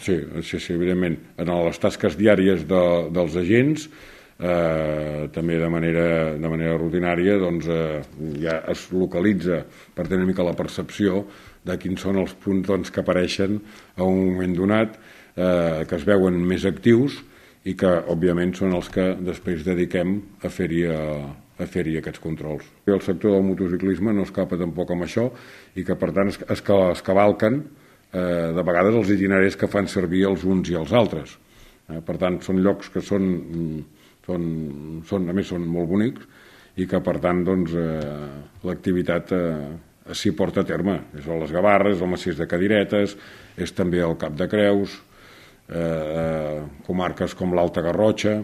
Sí, evidentment. En les tasques diàries dels agents, també de manera rutinària, doncs, ja es localitza per tenir una mica la percepció de quins són els punts que apareixen a un moment donat, que es veuen més actius i que, òbviament, són els que després dediquem a fer-hi aquests controls. El sector del motociclisme no escapa tampoc amb això i que, per tant, es cavalquen de vegades els itineraris que fan servir els uns i els altres. Per tant, són llocs que a més són molt bonics i que, per tant, l'activitat s'hi porta a terme. És a les Gavarres, el Massís de Cadiretes, és també el Cap de Creus, comarques com l'Alta Garrotxa.